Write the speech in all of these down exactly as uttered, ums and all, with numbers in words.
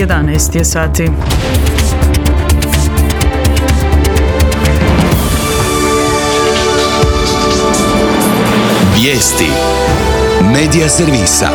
jedanaest je sati. Vijesti Medija servisa.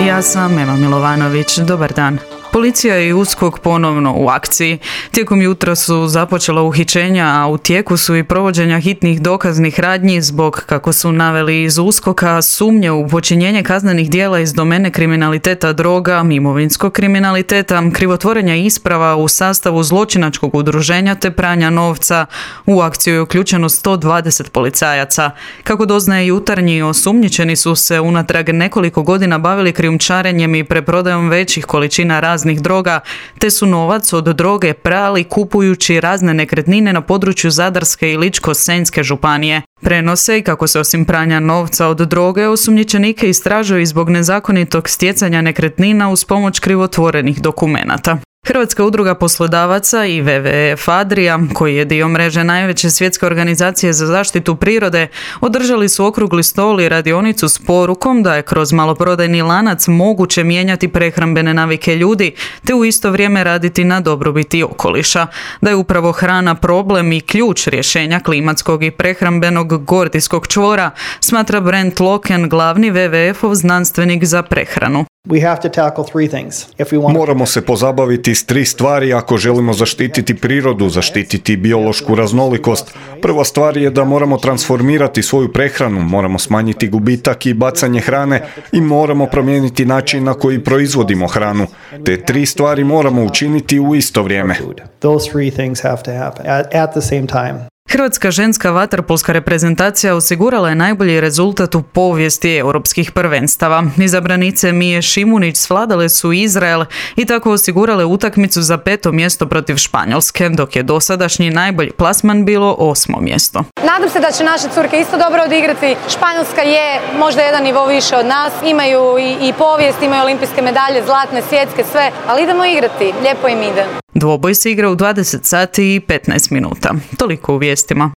Ja sam Ema Milovanović. Dobar dan. Policija i USKOK ponovno u akciji. Tijekom jutra su započela uhićenja, a u tijeku su i provođenja hitnih dokaznih radnji zbog, kako su naveli iz USKOK-a, sumnje u počinjenje kaznenih djela iz domene kriminaliteta droga, imovinskog kriminaliteta, krivotvorenja isprava u sastavu zločinačkog udruženja te pranja novca. U akciju je uključeno sto dvadeset policajaca. Kako doznaje Jutarnji, osumnjičeni su se unatrag nekoliko godina bavili krijumčarenjem i preprodajom većih količina raznih droga, te su novac od droge prali kupujući razne nekretnine na području Zadarske i Ličko-senjske županije. Prenose i kako se osim pranja novca od droge osumnjičenike istražuju i zbog nezakonitog stjecanja nekretnina uz pomoć krivotvorenih dokumenata. Hrvatska udruga poslodavaca i W W F Adria, koji je dio mreže najveće svjetske organizacije za zaštitu prirode, održali su okrugli stol i radionicu s porukom da je kroz maloprodajni lanac moguće mijenjati prehrambene navike ljudi, te u isto vrijeme raditi na dobrobiti okoliša. Da je upravo hrana problem i ključ rješenja klimatskog i prehrambenog gordijskog čvora, smatra Brent Loken, glavni W W F-ov znanstvenik za prehranu. Moramo se pozabaviti s tri stvari ako želimo zaštititi prirodu, zaštititi biološku raznolikost. Prva stvar je da moramo transformirati svoju prehranu, moramo smanjiti gubitak i bacanje hrane i moramo promijeniti način na koji proizvodimo hranu. Te tri stvari moramo učiniti u isto vrijeme. Hrvatska ženska vaterpolska reprezentacija osigurala je najbolji rezultat u povijesti europskih prvenstava. Izabranice Mije Šimunić svladale su Izrael i tako osigurale utakmicu za peto mjesto protiv Španjolske, dok je dosadašnji najbolji plasman bilo osmo mjesto. Nadam se da će naše curke isto dobro odigrati. Španjolska je možda jedan nivo više od nas. Imaju i, i povijest, imaju olimpijske medalje, zlatne, svjetske, sve, ali idemo igrati. Lijepo im ide. Dvoboj se igra u dvadeset sati i petnaest minuta. Toliko u vijestima.